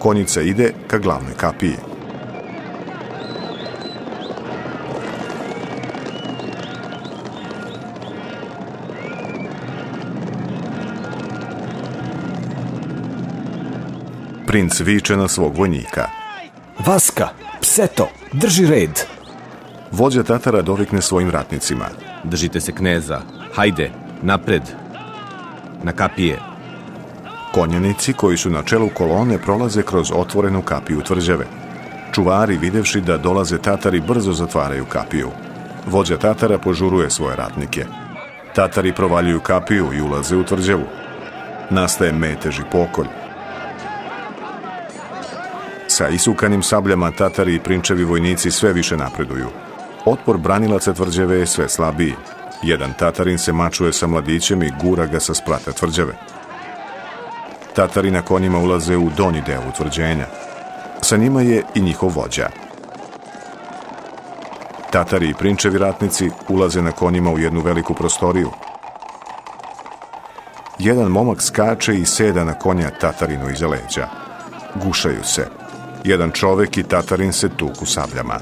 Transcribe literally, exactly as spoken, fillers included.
Konjica ide ka glavnoj kapiji. Princ viče na svog vojnika. Vaska, Pseto, drži red. Vođa Tatara dovikne svojim ratnicima. Držite se kneza, hajde, napred, na kapije. Konjanici koji su na čelu kolone prolaze kroz otvorenu kapiju tvrđave. Čuvari, videvši da dolaze Tatari, brzo zatvaraju kapiju. Vođa Tatara požuruje svoje ratnike. Tatari provaljuju kapiju i ulaze u tvrđavu. Nastaje metež i pokolj. Sa isukanim sabljama Tatari i prinčevi vojnici sve više napreduju. Otpor branilaca tvrđave je sve slabiji. Jedan Tatarin se mačuje sa mladićem i gura ga sa sprata tvrđave. Tatari na konjima ulaze u donji deo utvrđenja. Sa njima je i njihov vođa. Tatari i prinčevi ratnici ulaze na konjima u jednu veliku prostoriju. Jedan momak skače i seda na konja Tatarinu iza leđa. Gušaju se. Jedan čovek i Tatarin se tuku sabljama.